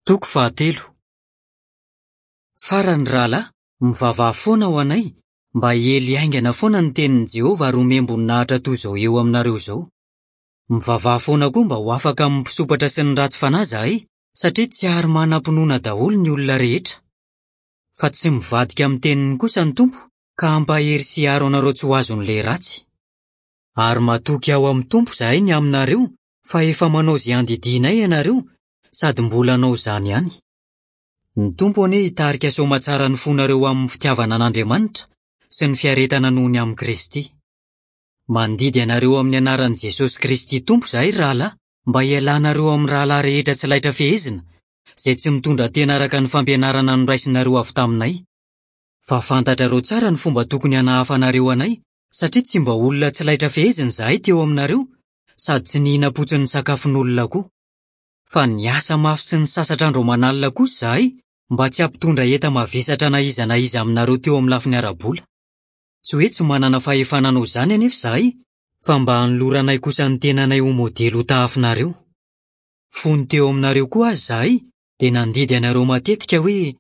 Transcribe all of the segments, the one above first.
Toko fahatelo. Farany, ry rahalahy, mivavaha foana ho anay, mba hiely haingana foana ny tenin'i Jehovah ary homem-boninahitra toy izao eo aminareo izao. Mivavaha foana koa mba ho afaka amin'ny mpisompatra sy ny ratsy fanahy izahay, satria tsy ary manam-pinoana daholo ny olona rehetra. Fa tsy mivadika amin'ny teniny kosa ny Tompo, ka hampahery sy hiaro anareo tsy ho azon'ilay ratsy. Ary matoky ao amin'ny Tompo izahay ny aminareo fa efa manao izay andidianay ianareo, sady mbola hanao izany ihany. Ny Tompo anie hitarika soamatsara ny fonareo ho amin'ny fitiavana an'Andriamanitra sy ny fiaretana noho ny amin'i Kristy. Mandidy anareo amin'ny anaran'i Jesosy Kristy Tompo izahay, ry rahalahy, mba hialanareo amin'ny rahalahy rehetra tsy laitra fehezina, izay tsy mitondra tena araka ny fampianarana noraisinareo avy taminay. Fa fantatrareo tsara ny fomba tokony hanahafanareo anay, satria tsy mba olona tsy laitra fehezina izahay teo aminareo, sady tsy nihinam-potsiny ny sakafon'olona koa. Fa niasa mafy sy nisasatra andro aman'alina kosa izahay mba tsy hampitondra enta-mavesatra na iza na iza aminareo teo amin'ny lafiny ara-bola. Tsy hoe tsy manana fahefana hanao izany anefa izahay, fa mba hanoloranay kosa ny tenanay ho modely hotahafinareo. Fony teo aminareo koa aza izahay dia nandidy anareo matetika hoe,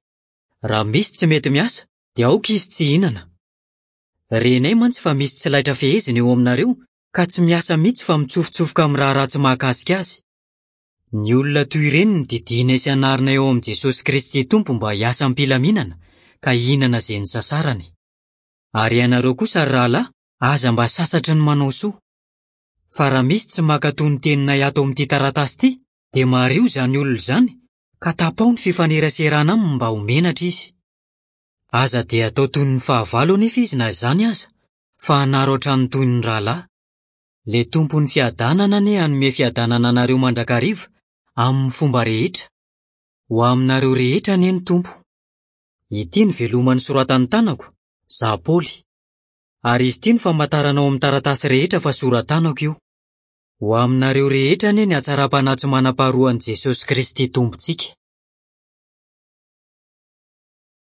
Raha misy tsy mety miasa, dia aoka izy tsy hihinana. Renay mantsy fa misy tsy laitra fehezina eo aminareo ka tsy miasa mihitsy fa mitsofotsofoka amin'ny raharaha tsy mahakasika azy. Ny olona toy ireny no didianay sy anarinay ao amin'i Jesosy Kristy Tompo mba hiasa am-pilaminana ka hihinana izay nisasarany. Ary ianareo kosa ry rahalahy, aza mba sasatry ny manao soa. Fa raha misy tsy mankatò ny teninay ato amin'ity taratasy ity, dia mariho izany olona izany, ka tapaho ny fifaneraserana aminy mba ho menatra izy. Aza dia atao toy ny fahavalo anefa izy na izany aza, fa hanaro hatrany toy ny rahalahy. Ilay Tompon'ny fiadanana anie hanome fiadanana anareo mandrakariva amin'ny fomba rehetra. Ho aminareo rehetra anie ny Tompo. Ity ny veloma nosoratan'ny tanako, izaho Paoly. Ary izy ity no famantarana ao amin'ny taratasy rehetra fa sora-tanako io. Ho aminareo rehetra anie ny hatsaram-panahy tsy manam-paharoan'i Jesosy Kristy Tompontsika.